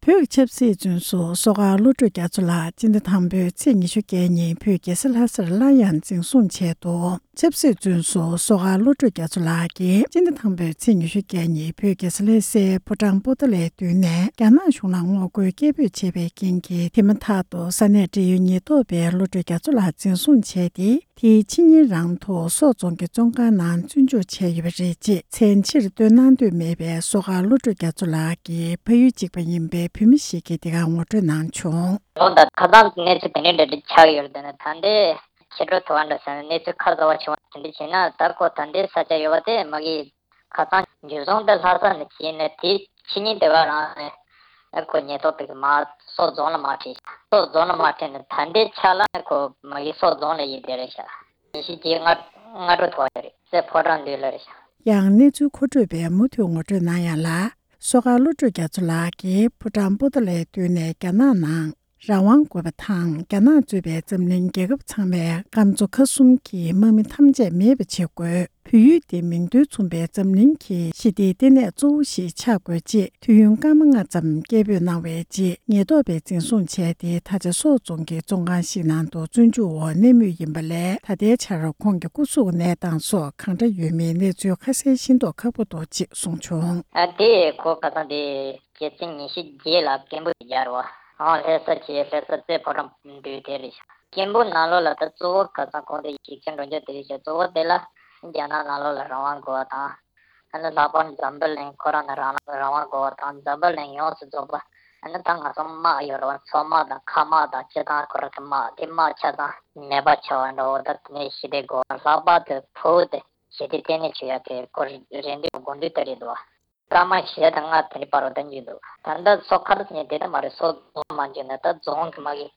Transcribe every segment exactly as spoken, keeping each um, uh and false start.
བོད་ཀྱི་ཆབ་སྲིད་བཙོན་ཟུར་བསོད་དཀར་བློ་གྲོས་རྒྱ་མཚོ་ལགས་སྤྱི་ཟླ་དང་པོའི་ཚེས་ཉི་ཤུ་བརྒྱད་ཉིན་བོད་རྒྱལ་ས་ལྷ་སར་སླར་ཡང་འཛིན་བཟུང་བྱས་འདུག་ཆབ་སྲིད་བཙོན་ཟུར་བསོད་དཀར་བློ་གྲོས་རྒྱ་མཚོ་ལགས་ཀྱིས་སྤྱི་ཟླ་དང་པོའི་ཚེས་ཉི་ཤུ་བརྒྱད་ཉིན་བོད་རྒྱལ་ས་ལྷ་སའི་ཕོ་བྲང་པོ་ཏཱ་ལའི་མདུན་ནས་རྒྱ་ནག་གཞུང་ལ་ངོ་རྒོལ་སྐད་འབོད་བྱས་པའི་རྐྱེན་གྱིས། དེ་མ་ཐག་ཏུ་ས་གནས་འབྲེལ་ཡོད་ཉེན་རྟོག་པས་བློ་གྲོས་རྒྱ་མཚོ་ལགས་འཛིན་བཟུང་བྱས་ཏེ། དེའི་ཕྱི་ཉིན་རང་དུ་སོག་རྫོང་གི་བཙོན་ཁང་ནང་བཙོན་འཇུག་བྱས་ཡོད་པ་རེད་ཅེས། མཚན་ཕྱིར་བཏོན་གནང་འདོད་མེད་པའི་བསོད་དཀར་བློ་གྲོས་རྒྱ་མཚོ་ལགས་ཀྱི་ཕ་ཡུལ་གཅིག་པ་ཡིན་པའི་བོད་མི་ཞིག་གིས་འདི་གར་ངོ་སྤྲོད་གནང་བྱུང་། ལོ་ད་ཁ་སང་གནས་ཚུལ་དེ་འདྲའི་འདྲ་འདྲ་ཆགས་ཡོད་རེད། དེ་ནས་ད་ལྟའི་ཕྱི་དྲོ་ཐུབ་པ་འདྲ་ཟེར་ནས་གནས་ཚུལ་ཁ་གསལ་བ་བྱུང་བ་དེ་འདྲ་བྱས་ན། ད་ཁོ་ད་ལྟའི་ས་ཆ་ཡོད་པ་དེ་མ་གི་ཁ་སང་འཇུ་བཟུང་དེ་ལྷ་ས་ནས་བྱས་ནས། དེའི་ཕྱི་ཉིན་དེ་ག་རང་ནས་ཁོ་ཉེན་རྟོག་པས་མར་སོག་རྫོང་ལ་མར་ཁྲིད། སོག་རྫོང་ལ་མར་ཁྲིད་ནས་ད་ལྟའི་ཆ་ལ་ཁོ་མ་གི་སོག་རྫོང་ལ་ཡོད་བསྡད་རེད་ཤག་ཉི་ཤུ་བརྒྱད་སྔ་སྔ་དྲོ་ཐུག་པ་རེད། སའི་ཕོ་བྲང་མདུན་ལ་རེད་ཤག་ཡང་གནས་ཚུལ་མཁོ་སྤྲོད་པས་མུ་མཐུད་ངོ་སྤྲོད་གནང་ཡག་ལ། བསོད་དཀར་བློ་གྲོས་རྒྱ་མཚོ་ལགས་ཀྱིས་ཕོ་བྲང་པོ་ཏཱ་ལའི་མདུན་ནས་རྒྱ་ནག་ནང་རང་དབང་དགོས་པ་དང་། རྒྱ་ནག་གཙོས་པའི་འཛམ་གླིང་རྒྱལ་ཁབ་ཚང་མས་ཀམ་མཚོ་ཁ་གསུམ་གྱི་དམག་མི་ཐམས་ཅད་མེད་པ་བྱེད་དགོས། བོད་ཡུལ་འདི་མིང་དོན་མཚུངས་པའི་འཛམ་གླིང་གི་ཞི་བདེའི་ལྟེ་གནས་གཙོ་བོ་ཞིག་ཆགས་དགོས་ཅེས། དུས་ཡུན་སྐར་མ་ལྔ་ཙམ་སྐད་འབོད་གནང་བའི་རྗེས། ཉེན་རྟོག་པས་འཛིན་བཟུང་བྱས་ཏེ། ད་ཆ་སོག་རྫོང་གི་བཙོན་ཁང་ཞིག་ནང་དུ་བཙོན་འཇུག་འོག་གནས་མུས་ཡིན་པ་ལས། ད་ལྟའི་ཆར་ཁོང་གི་སྐུ་གཟུགས་གནས་སྟངས་སོགས་གང་འདྲ་ཡོད་མེད་གནས་ཚུལ་ཁ་གསལ་ཤེས་རྟོགས་ཁག་པོ་འདུག་ཅེས་གསུངས་བྱུང་། ཨ་དེ་ཁོ་ཁ་སང་དེ་ཕྱི་ཚེས་ཉི་ཤུ་བརྒྱད་ལ་སྐད་འབོད་རྒྱག་རོགས། ཨང་ལྷ་ས་བྱས། ལྷ་ས་རྩེ་ཕོ་བྲང་མདུན་དེ་རེད་ཤག་སྐད་འབོད་ནང་ལོགས་ལ་ད་གཙོ་བོ་ཁ་སང་ཁོང་དེ་ཞིག་ཆ་འགྲོ་རྒྱུ་དེ་རེད་ཤག་གཙོ་བོ་དེ་ལ་རྒྱ་ནག་ནང་ལོགས་ལ་རང་དབང་དགོས་པ་དང་། ཨ་ནི་ལྷག་པར་འཛམ་བུ་གླིང་ཁོ་རང་ནི་རང་རང་དབང་དགོས་པ་དང་། འཛམ་བུ་གླིང་ཡོངས་སུ་རྫོགས་པ་ཨ་ནི་ད་ང་ཚོ་དམག་ཡོད་རེད་བ། མཚོ་དམག་དང་མཁའ་དམག་དང་སྤྱི་བཏང་ཁོ་རང་གི་དམག་དེ་དམག་ཆ་ཚང་མེད་པ་ཆགས་པ་འདྲ་བོ། ད་དེ་ནས་ཞི་བདེ་དགོས་པ། ལྷག་པར་དུ་བོད་དེ་ཞི་བདེ་ལྟེ་གནས་བྱེད་ཡག་གི་ཁོ་རེ་འདུན་དགོས་འདུན་དེ་རེད་འདུག་བ། སྐར་མ་བཞི་དང་ལྔ་དེ་འདྲའི་བར་དུ་ད་འཇུག་འདུག་ད་ལྟ་སོ་ཁ་རུ་ཉིན་དེ་ལྟ་མ་རེད། སོ་རྫོང་མ་འཇུག་ན་ད་རྫོང་གི་མ་གི་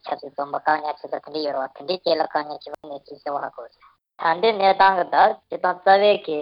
ཆབ་སྲིད་བཙོན་པ་བཀག་ཉར་བྱེད་ས་དེ་འདྲ་ཡོད་རེད་བ། དེ་འདྲའི་རྐྱེན་ལ་བཀག་ཉར་བྱེད་པ་གནས་ཚུལ་གསལ་བོ་ཧ་གོ་ཟེར། ད་ལྟའི་གནས་སྟངས་ཀྱི་ད་སྤྱི་བཏང་རྩ་བའི་གི་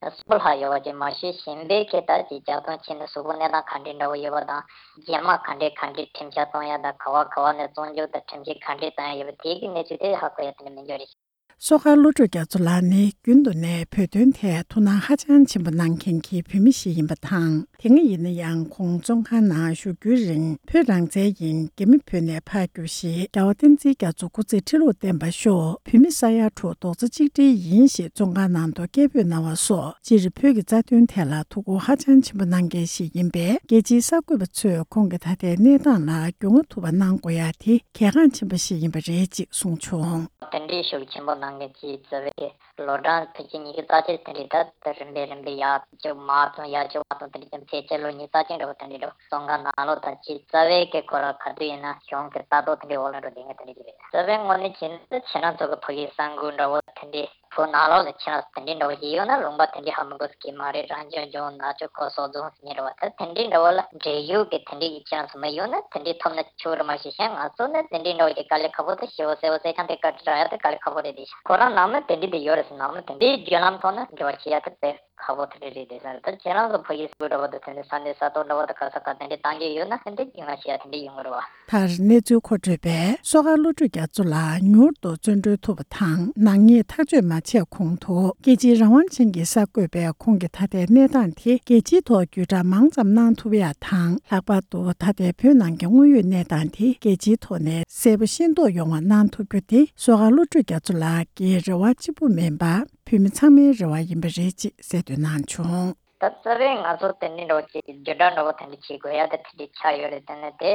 གསོན་པོ་ལྷག་ཡོད་པ་ཅིག་མ་གཞི་གཞན་པའི་གི་ད་ཅིག་ཇག་རྡུང་བྱས་ནས་གཟུགས་པོ་གནས་སྟངས་ག་འདྲའི་འདྲ་བོ་ཡོད་པ་དང་། རྗེས་མ་ག་འདྲའི་ག་འདྲའི་ཁྲིམས་འཆར་གཏོང་ཡ་དང་། ག་བ་ག་བ་ནས་བཙོན་འཇུག་དང་ཁྲིམས་ཆད་ག་འདྲའི་བཏང་ཡ་ཡོད་པ་དེ་གི་གནས་ཚུལ་དེ་ཧ་གོ་ཡ་དེ་འདྲ་མི་འདུག་རེད། བསོད་དཀར་བློ་གྲོས་རྒྱ་མཚོ་ལགས་ནི་རྒྱུན་དུ་ནས་བོད་དོན་ཐད་ཐུགས་སྣང་ཧ་ཅང་ཆེན་པོ་གནང་མཁན་གྱི་བོད་མི་ཞིག་ཡིན་པ་དང་། དེ་སྔ་ཡིན་ན་ཡང་ཁོང་བཙོན་ཁང་ནང་བཞུགས་རྒྱུའི་རིང་། བོད་རང་བཙན་ཡིན། རྒྱ་མི་བོད་ནས་ཕར་རྒྱུགས་ཤིག་རྒྱལ་བ་བསྟན་འཛིན་རྒྱ་མཚོ་སྐུ་ཚེ་ཁྲི་ལོར་བརྟན་པར་ཤོག་བོད་མི་ས་ཡ་དྲུག་རྡོག་རྩ་གཅིག་སྒྲིལ་ཡིན་ཞེས་བཙོན་ཁང་ནང་དུ་སྐད་འབོད་གནང་བ་སོགས། སྤྱིར་བོད་ཀྱི་རྩ་དོན་ཐད་ལ་ཐུགས་ཁུར་ཧ་ཅང་ཆེན་པོ་གནང་མཁན་ཞིག་ཡིན་པས། རྒྱལ་སྤྱིའི་གསར་འགོད་པ་ཚོས་ཁོང་གི་ད་ལྟའི་གནས་སྟངས་ལ་རྒྱུས་མངའ་ཐུབ་པ་གནང་དགོས་ཡ་དེ་གལ་འགངས་ཆེན་པོ་ཞིག་ཡིན་པ་རེད་ཅེས་གསུངས་བྱུང་། དེ་འདྲའི་ཤུགས་ཆེན་པོ་གནང་མཁན་གྱི་རྩ་བའི་ལོ་གྲངས་ཕལ་ཆེར་ཉི་ཤུ་རྩ་གཅིག་དེ་འདྲའི་ད་ད་རིམ་པས་རིམ་པས་ཡར་བཅུག་མར་བཏང་། ཡར་བཅུག་མར་བཏང་། དེ་འདྲའི་ཀྱང་ཕལ་ཆེར་ལོ་ཉི་ཤུ་རྩ་གཅིག་འདྲ་བོ་དེ་འདྲའི་འདྲ་བོ། བཙོན་ཁང་ནང་ལོགས་ད་ཅིག་རྩ་བའི་གི་ཁོ་རང་ག་དུས་ཡིན་ན་གཞུང་གི་ལྟ་རྟོག་དེ་འདྲའི་འོག་ལ་འགྲོ་བསྡད་མཁན་དེ་འདྲ་ཅིག་རེད། རྩ་བའི་ངོས་ནས་བྱས་ན་ད་ཁྱེད་རང་ཚོ་གི་ཕ་གིའི་གསར་འགོད་འདྲ་བོ་དེ་འདྲའི་བོད་ནང་ལོགས་ལ་ཁྱེད་རང་ཚོ་དེ་འདྲའི་འདྲ་བོ་ཞིག་ཡོད་ན། ལུང་པ་དེ་འདྲའི་ཧ་མི་གོ་ས་གི་མ་རེད། རང་སྐྱོང་ལྗོངས་ནག་ཆུ་ཁོ་སོག་རྫོང་ཟེར་མཁན་འདྲ་བོ། ད་དེ་འདྲའི་འདྲ་བོ་ལ་འབྲེལ་ཡོད་ཀྱི་དེ་འདྲའི་གི་ཁྱེད་རང་ཚོ་མི་ཡོད་ན་དེ་འདྲའི་ཐོབ་ན་ཆོག་རེད། མ་གཞི་གཞན་ང་ཚོ་ནི་དེ་འདྲའི་འདྲ་བོ་ཞིག་དཀའ་ལས་ཁག་པོ་ད་ཞེ་པོ་སེ་བོ་སེ་ཆང་དེ་བཀའ་དྲིན་རག་ཡ་དེ་དཀའ་ལས་ཁག་པོ་རེད། དེ་ཁོ་རང་ནང་མི་དེ་འདྲའི་དེ་ཡོད་རེད་ཟེར། ནང་མི་དེ་འདྲའི་བརྒྱུད་ལམ་ཐོག་ནས་འབྲེལ་བ་བྱེད་ཡ་དེ་དཔེ་ཁག་པོ་དེ་འདྲ་རེད་དེ་ཟེར། ད་ཁྱེད་རང་ཚོ་ཕ་གིའི་སྐུ་འདྲ་བོ་དང་དེ་འདྲའི་ས་གནས་ས་ཐོག་འདྲ་བོ་དང་ག་ས་ག་དེ་འདྲའི་བཏང་རྒྱུ་ཡོད་ན་དེ་འདྲའི་རྒྱུས་མངའ་ཆེ་ཡ་དེ་འདྲའི་ཡོང་གི་རེད་བ། མཐར་གནས་ཚུལ་མཁོ་སྤྲོད་པས་བསོད་དཀར་བློ་གྲོས་རྒྱ་མཚོ་ལགས་མྱུར་དུ་བཙོན་གྲོལ་ཐུབ་པ་དང་། ནག་ཉེས་ཐག་གཅོད་མ་བྱས་གོང་དུ་རྒྱལ་སྤྱིའི་རང་དབང་ཅན་གྱི་གསར་འགོད་པས་ཁོང་གི་ད་ལྟའི་གནས་སྟངས་དེ་རྒྱལ་སྤྱིའི་ཐོག་བརྒྱུད་བསྒྲགས་མང་ཙམ་གནང་ཐུབ་ཡ་དང་། ལྷག་པར་དུ་ད་ལྟའི་བོད་ནང་གི་དངོས་ཡོད་གནས་སྟངས་དེ་རྒྱལ་སྤྱིའི་ཐོག་ནས་གསལ་པོ་ཤེས་རྟོགས་ཡོང་བ་གནང་ཐུབ་རྒྱུ་དེ་བསོད་དཀར་བློ་གྲོས་རྒྱ་མཚོ་ལགས་ཀྱི་རེ་བ་གཅིག་པུ་མིན་པར། བོད་མི་ཚང་མའི་རེ་བ་ཡིན་པ་རེད་ཅེས་གསལ་སྟོན་གནང་བྱུང་། ད་རྩ་བའི་ང་ཚོ་དེ་འདྲའི་འདྲ་བོ་ཅིག་བརྒྱུད་བསྒྲགས་འདྲ་བོ་དེ་འདྲ་བྱེད་དགོས་ཡ་དེ་དེ་འདྲའི་ཆགས་ཡོད་རེད། དེ་ནས་དེ་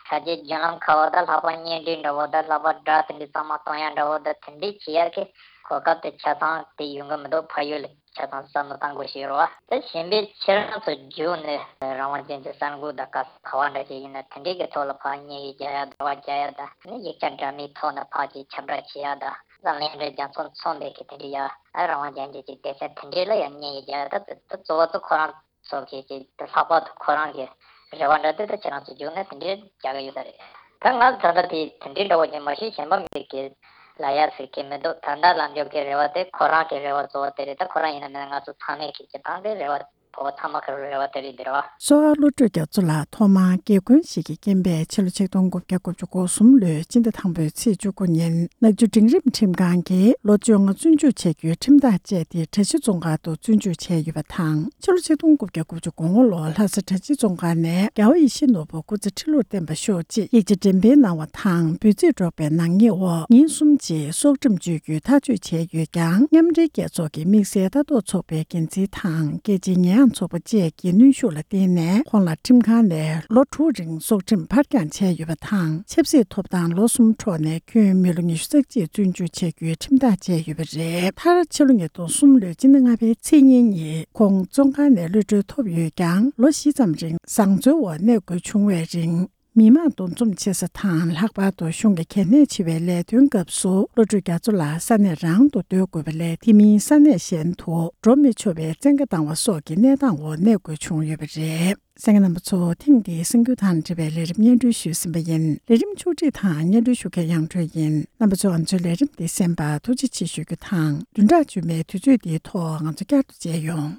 ཕལ་ཆེར་བརྒྱུད་ལམ་ཁག་པ་དང་ལྷག་པར་བརྙན་འཕྲིན་འདྲ་བོ་དང་ལྷག་པར་སྒྲ་དེ་འདྲའི་གཙང་མ་གཏོང་ཡ་འདྲ་བོ་དང་དེ་འདྲའི་བྱེད་ཡ་གི་གོ་སྐབས་དེ་ཆ་ཚང་དེ་ཡོང་གི་མི་འདུག་ཕ་ཡུལ་ལ་ཆ་ཚང་བསམ་བློ་བཏང་དགོས་ཤེས་རེད་བ། དེ་གཞན་པའི་ཁྱེད་རང་ཚོ་བརྒྱུད་ནས་རང་དབང་ཅན་གྱི་གསར་འགོད་དང་ག་ས་ག་བ་འདྲ་ཞིག་ཡིན་ན་དེ་འདྲའི་གི་ཐོག་ལ་ཕར་བརྙན་ཡིག་རྒྱག་ཡ། དྲི་བ་རྒྱག་ཡ་དང་ནི་ཡིག་ཆ་འདྲ་མིན་ཐོག་ནས་ཕར་ཅིག་ཁྱབ་བསྒྲགས་བྱེད་ཡ་དང་། འཛམ་གླིང་འདྲ་རྒྱ་མཚོ་མཚུངས་པའི་གི་དེ་འདྲའི་ཡ་ཨ་རང་དབང་ཅན་གྱི་ཅིག་སྡེ་ཚན་དེ་འདྲའི་ལ་ཡང་བརྙན་ཡིག་རྒྱག་ཡ། ད་དེ་ད་གཙོ་བོ་ད་ཁོ་རང་ཚོ་གི་ཅིག་ད་ལྷག་པར་དུ་ཁོ་རང་གི་རེ་བ་འདྲ་དེ་ད་ཁྱེད་རང་ཚོ་བརྒྱུད་ནས་དེ་འདྲའི་རྒྱག་གི་ཡོད་ས་རེད། ད་ང་ད་ལྟ་དེ་དེ་འདྲའི་འདྲ་བོ་ཅིག་མ་གཞི་གཞན་པ་མི་གི་ལ་ཡ་ཟེར་གི་མི་འདུག་ད་ལྟ་ལམ་འཇོག་གི་རེ་བ་དེ་ཁོ་རང་གི་རེ་བ་གཙོ་བོ་དེ་རེད། ད་ཁོ་རང་ཡིན་ན་མིན་ན་ང་ཚོ་ཚང་མས་གི་སྤྱི་བཏང་གི་རེ་བ་ བོད་ཚང་མ་གི་རེ་བ་དེ་རེད་འདིར་བ། གསོ་བ་བློ་གྲོས་རྒྱ་མཚོ་ལགས་ཐོག་མར་དགེ་སྐོན་ཞིག་གི་རྐྱེན་པས་ཕྱི་ལོ་ཆིག་སྟོང་དགུ་བརྒྱ་དགུ་བཅུ་གོ་གསུམ་ལོའི་སྤྱི་ཟླ་དང་པོའི་ཚེས་བཅུ་དགུ་ཉིན་ནག་ཆུ་འབྲིང་རིམ་ཁྲིམས་ཁང་གིས་ལོ་བཅོ་ལྔ་བཙོན་འཇུག་བྱ་རྒྱུའི་ཁྲིམས་ཐག་བཅད་དེ་གྲྭ་བཞི་བཙོན་ཁང་དུ་བཙོན་འཇུག་བྱས་ཡོད་པ་དང་། ཕྱི་ལོ་ཆིག་སྟོང་དགུ་བརྒྱ་དགུ་བཅུ་གོ་ལྔ་ལོར་ལྷ་ས་གྲྭ་བཞི་བཙོན་ཁང་ནས་རྒྱལ་བ་ཡིད་བཞིན་ནོར་བུ་སྐུ་ཚེ་ཁྲི་ལོར་བརྟན་པར་ཤོག་ཅེས་ཡིག་ཆ་འགྲེམས་སྤེལ་གནང་བ་དང་། འབོད་ཚིག་སྒྲོག་པའི་ནག་ཉེས་འོག་ཉིན་གསུམ་རྗེས་སྲོག་ཁྲིམས་གཅོད་རྒྱུའི་ཐག་གཅོད་བྱས་ཡོད་ཀྱང་། མཉམ་འབྲེལ་རྒྱལ་ཚོགས་ཀྱི་དམིགས་བསལ་ལྟ་རྟོག་ཚོགས་པའི་འགན་འཛིན་དང་སྐད་ཆའི་ཉེས་ཡངས་ཚོགས་པ་བཅས་ཀྱི་གནོན་ཤུགས་ལ་བརྟེན་ནས། ཁོང་ལ་ཁྲིམས་ཁང་ནས་ལོ་དྲུག་རིང་སྲོག་ཁྲིམས་ཕར་འགྱངས་བྱས་ཡོད་པ་དང་། ཆབ་སྲིད་ཐོབ་ཐང་ལོ་གསུམ་འཕྲོག་ནས་ཁྱོན་མི་ལོ་ཉི་ཤུ་རྩ་གཅིག་བཙོན་འཇུག་བྱ་རྒྱུའི་ཁྲིམས་ཐག་བཅད་ཡོད་པ་རེད། མཐར་ཕྱི་ལོ་ཉིས་སྟོང་གསུམ་ལོའི་སྤྱི་ཟླ་ལྔ་པའི་ཚེས་གཉིས་ཉིན་ཁོང་བཙོན་ཁང་ནས་གློད་གྲོལ་ཐོབ་ཡོད་ཀྱང་། ལོ་བཞི་ཙམ་རིང་བཟང་བཙོན་འོག་གནས་དགོས་བྱུང་བའི་རིང་། མི་མང་འདུ་འཛོམས་ཆེ་ས་དང་། ལྷག་པར་དུ་གཞུང་གི་གལ་གནད་ཆེ་བའི་ལས་དོན་སྐབས་སུ་བློ་གྲོས་རྒྱ་མཚོ་ལགས་ས་གནས་རང་དུ་སྡོད་དགོས་པ་ལས། དེ་མིན་ས་གནས་གཞན་དུ་འགྲོ་མི་ཆོག་པའི་བཙན་བཀའ་བཏང་བ་སོགས་ཀྱི་གནས་སྟངས་འོག་གནས་དགོས་བྱུང་ཡོད་པ་རེད། གསན་མཁན་རྣམ་པ་ཚོ། ཐེངས་འདིའི་གསར་འགྱུར་དང་འབྲེལ་བའི་ལས་རིམ་སྙན་སྒྲོན་ཞུས་ཟིན་པ་ཡིན། ལས་རིམ་ཕྱོགས་སྒྲིག་དང་སྙན་སྒྲོན་ཞུ་མཁན་དབྱངས་སྒྲོན་ཡིན། རྣམ་པ་ཚོ་ང་ཚོའི་ལས་རིམ་འདི་གསན་པར་ཐུགས་རྗེ་ཆེ་ཞུ་རྒྱུ་དང་། བདུན་ཕྲག་རྗེས་མའི་དུས་ཚོད་འདིའི་ཐོག་ང་ཚོ་བསྐྱར་དུ་མཇལ་ཡོང་།